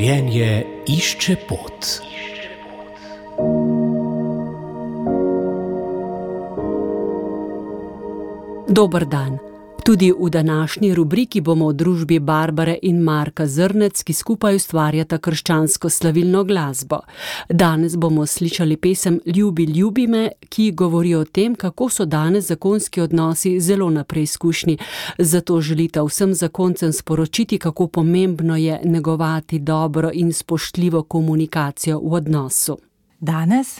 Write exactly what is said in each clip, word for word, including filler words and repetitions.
Življenje išče pot. Dober dan. Tudi v današnji rubriki bomo v družbi Barbare in Marka Zrnec, ki skupaj ustvarjata krščansko slavilno glasbo. Danes bomo slišali pesem Ljubi, ljubi me, ki govori o tem, kako so danes zakonski odnosi zelo na preizkušnji. Zato želita vsem zakoncem sporočiti, kako pomembno je negovati dobro in spoštljivo komunikacijo v odnosu. Danes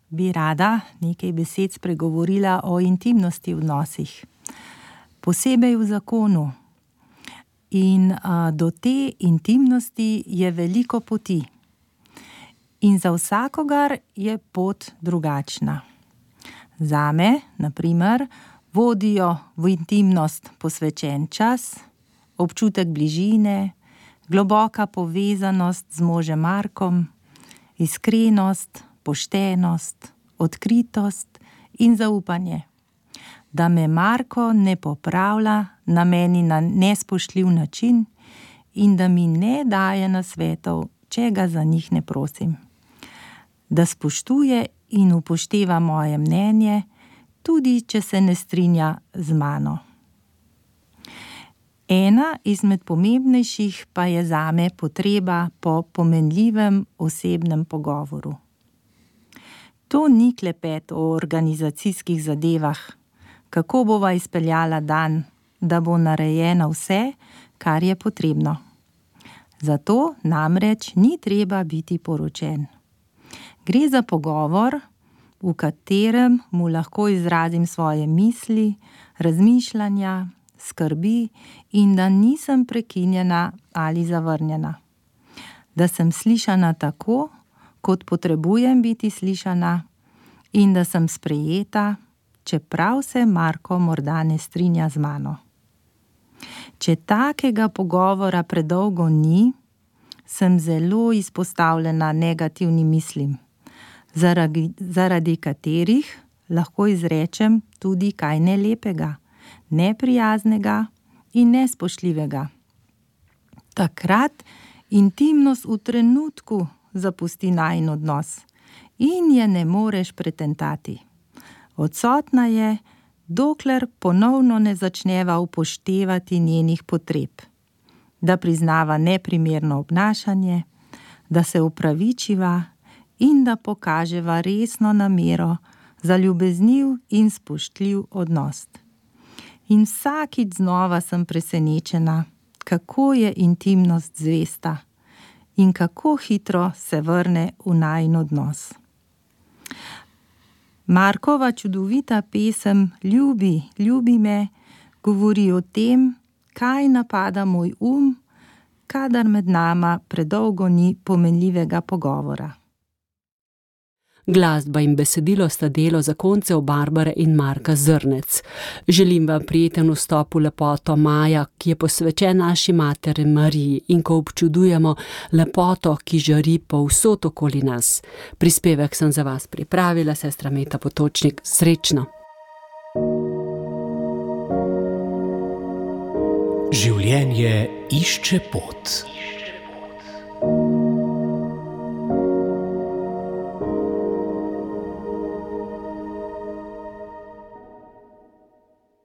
bi rada nekaj besed spregovorila o intimnosti v odnosih. Posebej v zakonu. In a, do te intimnosti je veliko poti. In za vsakogar je pot drugačna. Zame, na primer, vodijo v intimnost posvečen čas, občutek bližine, globoka povezanost z možem Markom, iskrenost, poštenost, odkritost in zaupanje. Da me Marko ne popravlja na meni na nespoštljiv način in da mi ne daje nasvetov, če ga za njih ne prosim. Da spoštuje in upošteva moje mnenje, tudi če se ne strinja z mano. Ena izmed pomembnejših pa je zame potreba po pomenljivem osebnem pogovoru. To ni klepet o organizacijskih zadevah, kako bova izpeljala dan, da bo narejeno vse, kar je potrebno. Zato namreč ni treba biti poročen. Gre za pogovor, v katerem mu lahko izrazim svoje misli, razmišljanja, skrbi in da nisem prekinjena ali zavrnjena. Da sem slišana tako, kot potrebujem biti slišana in da sem sprejeta, čeprav se Marko morda ne strinja z mano. Če takega pogovora predolgo ni, sem zelo izpostavljena negativnim mislim, zaradi, zaradi katerih lahko izrečem tudi kaj nelepega, neprijaznega in nespoštljivega. Takrat intimnost v trenutku zapusti najin odnos in je ne moreš pretentati. Odsotna je, dokler ponovno ne začneva upoštevati njenih potreb, da priznava neprimerno obnašanje, da se opravičiva in da pokaževa resno namero za ljubezniv in spoštljiv odnos. In vsakič znova sem presenečena, kako je intimnost zvesta in kako hitro se vrne v najin odnos. Markova čudovita pesem Ljubi, ljubi me govori o tem, kaj napada moj um, kadar med nama predolgo ni pomenljivega pogovora. Glasba in besedilo sta delo zakoncev Barbare in Marka Zrnec. Želim vam prijeten vstop v lepoto maja, ki je posvečen naši materi Mariji in ko občudujemo lepoto, ki žari povsod okoli nas. Prispevek sem za vas pripravila, sestra Meta Potočnik. Srečno! Življenje išče pot.